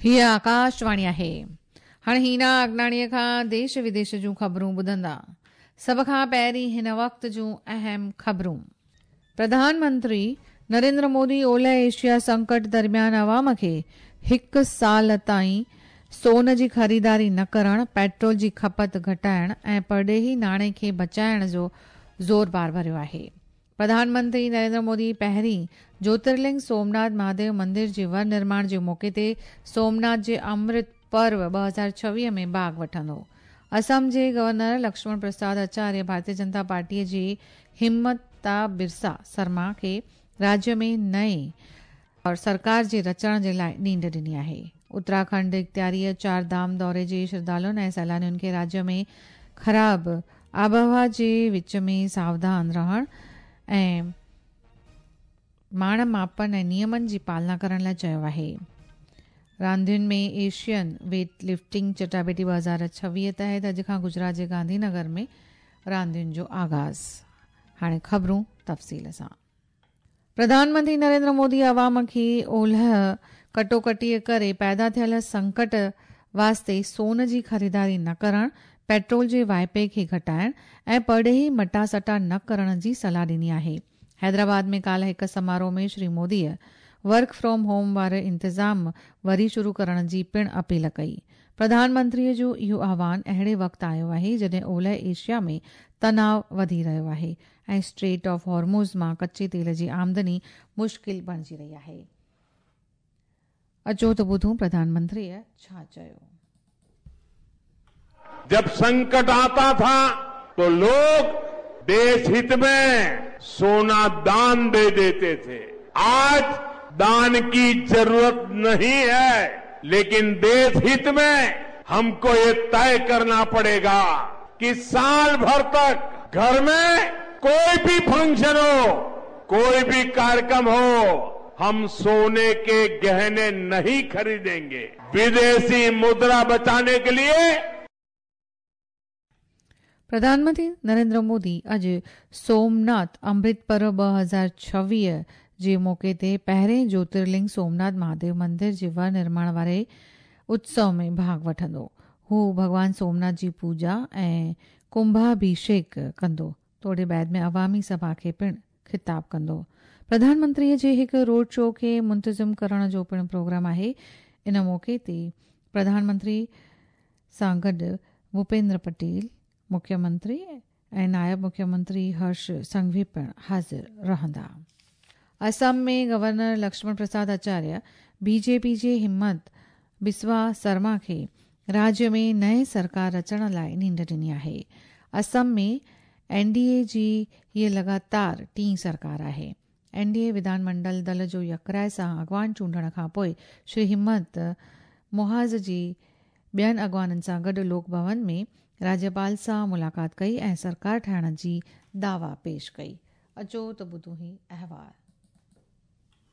هيء آڪاشواڻي آهي. هاڻي هينا اگناڻيء کان ديش وديش جون خبرون ٻڌندا. سڀ کان پهرين هن وقت جون اهم خبرون. پرڌان منتري نريندر مودي اولهه ايشيا سنڪٽ درميان عوام کي هڪ سال تائين سون جي خريداري نه ڪرڻ، پيٽرول جي کپت گهٽائڻ ۽ پرڏيهي ناڻي کي بچائڻ جو زور بار ڀريو آهي. پرڌان منتري نريندر مودي پهرين جوترلنگ سومناٿ مهاديو مندر جي ور نرماڻ جي موقعي تي سومناٿ جي امرت پرو 2026 ۾ ڀاڳ وٺندو. اسم جي گورنر لڪشمڻ پرساد اچاريه ڀارتيه جنتا پارٽيء جي همتا برسا سرما کي راجيه ۾ نئين سرڪار جي رچڻ جي لاء نينڍ ڏني آهي. اتراکنڊ اختياريء چار ڌام دوري جي شرڌالن ۽ سيلانين کي راجيه ۾ خراب آبهوا جي وچ ۾ ساوڌان رهڻ ۽ ماڻ ماپن ۽ نيمن جي پالنا ڪرڻ لاء چيو آهي. راندين ۾ ايشين ويٽ لفٽنگ چٽاڀيٽي 2026 تحت اڄ کان گجرات جي گانڌي نگر ۾ راندين جو آغاز. هاڻي خبرون تفصيل سان. پرڌان منتري نريندر مودي عوام کي اولهه ڪٽوڪٽيء ڪري پيدا ٿيل سنڪٽ واسطي سون جي خريداري نه ڪرڻ، پيٽرول جي واهپي کي گهٽائڻ ۽ پرڏيهي مٽاسٽا نه ڪرڻ جي صلاح ڏني آهي. حيدرآباد ۾ ڪالهه هڪ سماروهه ۾ شري موديء ورڪ فرام هوم واري انتظام وري شروع ڪرڻ جي پڻ اپيل ڪئي. پرڌان منتريء جو اهو آهوان اهڙي وقت آيو آهي جڏهن اولهه ايشيا ۾ تناء وڌي رهيو آهي ۽ اسٽريٽ آف هارموز مان ڪچي تيل جي آمدني مشڪل بڻجي رهي آهي. اچو ته ٻڌون پرڌان منتريء ڇا چيو. جب سنڪٽ آتا ٿا تو لوگ ديش هت مين سونا دان the ديتي ٿي. آج دان ڪي ضرورت نهين هي ليڪن ديش هت مين هم ڪو يي طئي ڪرنا پڙي گا ڪي سال ڀر تڪ گهر مين ڪوئي ڀي فنڪشن هو ڪوئي ڀي ڪاريڪرم هو هم سوني ڪي گهني نهين خريدينگي وديشي مدرا بچاني ڪي ليي. پرڌان منتري نريندر مودي اڄ سومناٿ امرت پرو 2026 جي موقعي تي پهرين جوترلنگ سومناٿ مهاديو مندر جي ور نرماڻ واري اتسو ۾ ڀاڳ وٺندو. هو ڀڳوان سومناٿ جي پوڄا ۽ ڪنڀاڀيشيڪ ڪندو توڙي بعد ۾ عوامي سڀا کي پڻ خطاب ڪندو. پرڌان منتري جي هڪ روڊ شو کي منتظم ڪرڻ جو پڻ پروگرام آهي. ان موقعي تي پرڌان منتري سان گڏ ڀوپيندر پٽيل، مکيه منتري ۽ نائب مکيه منتري هرش سنگهوي پڻ حاضر رهندا. اسم ۾ گورنر لڪشمڻ پرساد اچاريه بي جي پي جي همت بسوا سرما کي راجيه ۾ نئين سرڪار رچڻ لاء نينڍ ڏني آهي. اسم ۾ اين ڊي اي جي هيء لڳاتار ٽين سرڪار آهي. اين ڊي اي وڌان منڊل دل جو يڪراء سان اڳواڻ چونڊڻ کانپوء شري همت محاذ جي ٻين اڳواڻن سان گڏ لوڪ ڀون ۾ راجيپال سان ملاقات ڪئي ۽ سرڪار ٺاهڻ جي دعويٰ پيش ڪئي. اچو ته ٻڌون هي احوال.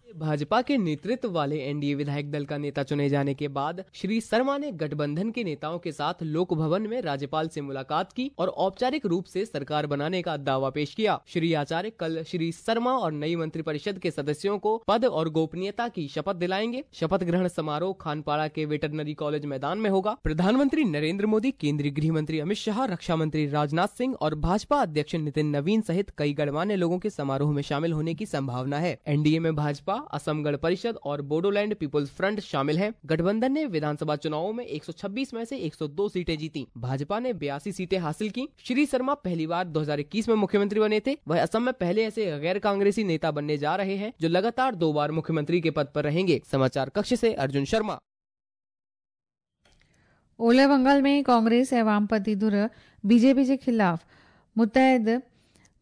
भाजपा के नेतृत्व वाले एनडीए विधायक दल का नेता चुने जाने के बाद श्री शर्मा ने गठबंधन के नेताओं के साथ लोक भवन में राज्यपाल से मुलाकात की और औपचारिक रूप से सरकार बनाने का दावा पेश किया। श्री आचार्य कल श्री शर्मा और नई मंत्रिपरिषद के सदस्यों को पद और गोपनीयता की शपथ दिलाएंगे। शपथ ग्रहण समारोह खानपाड़ा के वेटरनरी कॉलेज मैदान में होगा। प्रधानमंत्री नरेंद्र मोदी, केंद्रीय गृह मंत्री अमित शाह, रक्षा मंत्री राजनाथ सिंह और भाजपा अध्यक्ष नितिन नवीन सहित कई गणमान्य लोगों के समारोह में शामिल होने की संभावना है। एनडीए में भाजपा, असम गण परिषद और बोडोलैंड पीपुल्स फ्रंट शामिल हैं। गठबंधन ने विधानसभा चुनावों में 126 में से 102 सीटें जीती। भाजपा ने 82 सीटें हासिल की। श्री शर्मा पहली बार 2021 में मुख्यमंत्री बने थे। वह असम में पहले ऐसे गैर कांग्रेसी नेता बनने जा रहे हैं जो लगातार 2 बार मुख्यमंत्री के पद पर रहेंगे। समाचार कक्ष से अर्जुन शर्मा। اولهه بنگال ۾ ڪانگريس ۽ وامپنٿي ڌر بي جي پي جي خلاف متحد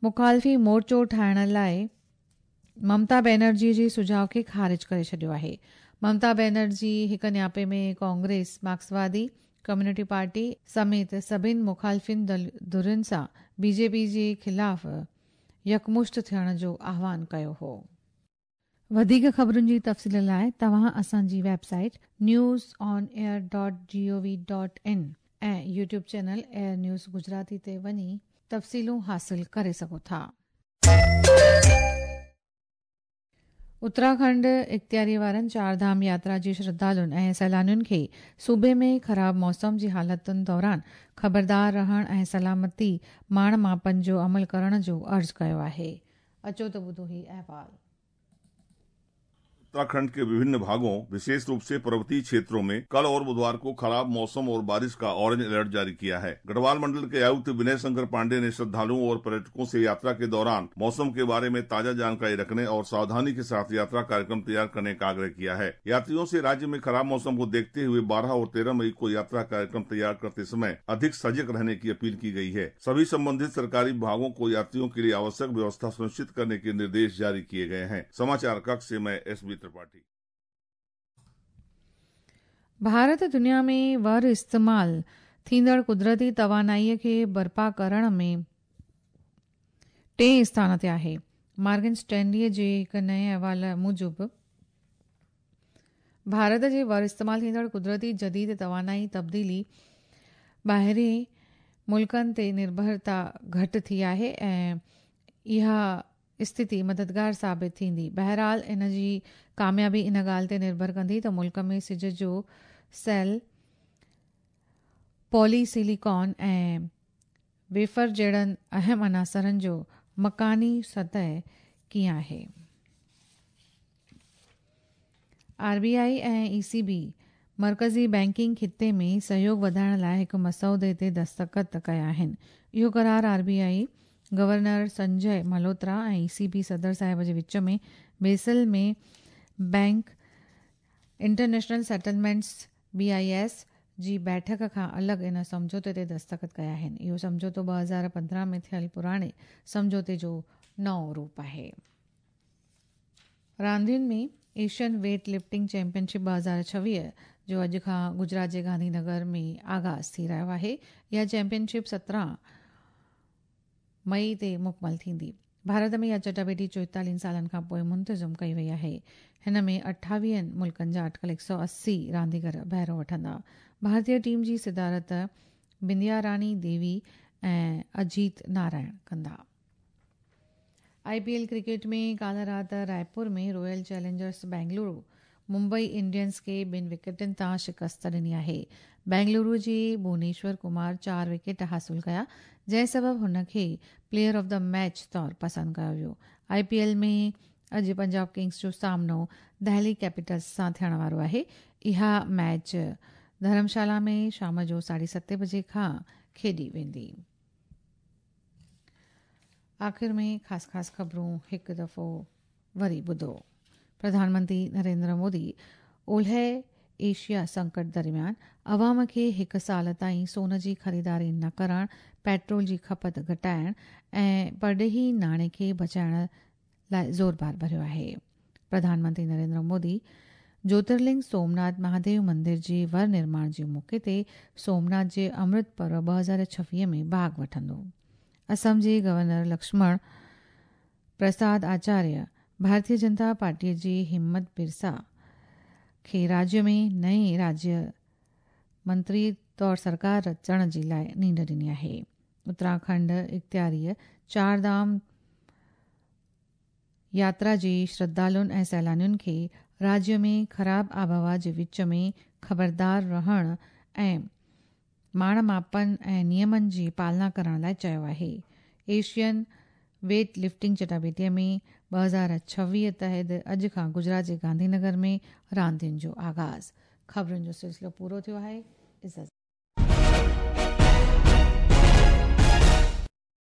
مخالفي مورچو ٺاهڻ لاء ممتا بينرجي جي سجهاء کي خارج ڪري ڇڏيو آهي. ممتا بينرجي هڪ نياپي ۾ ڪانگريس، مارڪسوادي ڪميونٽي پارٽي سميت سڀني مخالفين ڌرين سان بي جي پي جي خلاف يڪمشت ٿيڻ جو آهوان ڪيو هو. وڌيڪ خبرن جي تفصيل لاء توهان اسان جي website news on air dot G O V dot in ۽ YouTube channel air news Gujarati تي وڃي تفصيلون حاصل ڪري سگهو ٿا. اتراکنڊ اختياري وارن چار ڌام ياترا جي شرڌالن ۽ سيلانين کي صوبي ۾ خراب موسم جي حالتن دوران خبردار رهڻ ۽ سلامتي ماڻ ماپن جو عمل ڪرڻ جو عرض ڪيو آهي. اچو ته ٻڌون هي احوال. उत्तराखंड के विभिन्न भागों, विशेष रूप से पर्वतीय क्षेत्रों में कल और बुधवार को खराब मौसम और बारिश का ऑरेंज अलर्ट जारी किया है। गढ़वाल मंडल के आयुक्त विनय शंकर पांडे ने श्रद्धालुओं और पर्यटकों से यात्रा के दौरान मौसम के बारे में ताजा जानकारी रखने और सावधानी के साथ यात्रा कार्यक्रम तैयार करने का आग्रह किया है। यात्रियों से राज्य में खराब मौसम को देखते हुए 12 और 13 मई को यात्रा कार्यक्रम तैयार करते समय अधिक सजग रहने की अपील की गई है। सभी संबंधित सरकारी विभागों को यात्रियों के लिए आवश्यक व्यवस्था सुनिश्चित करने के निर्देश जारी किए गए हैं। समाचार कक्ष से मैं एस बी त्रिपाठी। भारत दुनिया में वर इस्तेमाल थींदड़ कुदरती तवानाईअ खे बर्पा करण में टें स्थान ते आहे। मार्गन स्टैनलीअ जे हिकु नएं अहवाल मूजिबि भारत जे वर इस्तेमाल थींदड़ कुदरती जदीद तवानाई तब्दीली ॿाहिरीं मुल्कनि ते निर्भरता घटि थी आहे ऐं इहा स्थिति मददगार साबित थींदी। बहरहाल इन जी कामयाबी इन ॻाल्हि ते निर्भर कंदी त मुल्क में सिज जो सेल, पॉलीसिलिकॉन ऐं वेफर जहिड़नि अहम अनासरनि जो मकानी सतह कीअं आहे। आर बी I ऐं ई सी बी मर्कज़ी बैंकिंग ख़िते में सहयोग वधाइण लाइ हिकु मसौदे ते दस्तख़त कया आहिनि। इहो करार R B I governor Sanjay Malhotra ऐं ई सी बी सदर साहिब जे विच में Basel में bank international settlements B I S जी बैठक खां अलॻि इन सम्झौते ते दस्तख़त कया आहिनि। इहो सम्झौतो 2015 में थियल पुराणे सम्झौते जो नओं रूप आहे। रांदियुनि में एशियन वेट लिफ्टिंग चैंपियनशिप 2026 जो अॼु खां गुजरात जे गांधीनगर में आगाज़ थी रहियो आहे। इहा चैंपियनशिप 17 मई ते मुकमल थींदी। भारत में इहा चटाभेटी 44 सालनि खां पोइ मुंतज़िम कई वई आहे। हिन में 28 मुल्कनि जा अटकल 180 रांदीगर बहिरो वठंदा। भारतीय टीम जी सदारत बिंदिया रानी देवी ऐं अजीत नारायण कंदा। आईपीएल क्रिकेट में काल्ह राति रायपुर में royal Challengers Bengaluru Mumbai Indians खे 2 विकेटनि तां शिकस्त ॾिनी आहे। बेंगलुरु जे भुवनेश्वर कुमार 4 विकेट हासिल कया, जंहिं सबबि हुन खे प्लेयर ऑफ the match तौर पसंदि कयो वियो। आईपीएल में अॼु पंजाब किंग्स जो सामनो दिल्ली कैपिटल्स सां थियण वारो आहे। इहा मैच धर्मशाला में शाम जो 7:30 बजे खां खेॾी वेंदी। आख़िर में ख़ासि ख़ासि ख़बरूं हिकु दफ़ो वरी ॿुधो। प्रधानमंत्री नरेंद्र मोदी ओलह एशिया संकट दरमियान अवाम खे हिकु साल ताईं सोन जी ख़रीदारी न करण, पेट्रोल जी खपत घटाइण ऐं परॾेही नाणे खे बचाइण लाइ ज़ोर भार भरियो आहे। प्रधानमंत्री नरेंद्र मोदी ज्योतिर्लिंग सोमनाथ महादेव मंदिर जे वर निर्माण जे मौक़े ते सोमनाथ जे अमृत पर्व 2026 में भाॻ वठंदो। असम जे गवर्नर लक्ष्मण प्रसाद आचार्य भारतीय जनता पार्टीअ जी हिम्मत बिरसा खे राज्य में नए राज्य मंत्री तौर सरकार रचण जे लाइ नींड ॾिनी आहे। उत्तराखंड इख़्तियारीअ चार धाम यात्रा जे श्रद्धालुनि ऐं सैलानियुनि खे राज्य में ख़राब आबहवा जे विच में ख़बरदार रहण ऐं माण मापन ऐं नियमनि जी पालना करण लाइ चयो आहे। एशियन वेट लिफ्टिंग चटाभेटीअ में 2026 तहत अॼु खां गुजरात जे गांधीनगर में रांदियुनि जो आगाज़। ख़बरुनि जो सिलसिलो पूरो थियो आहे। इज़त।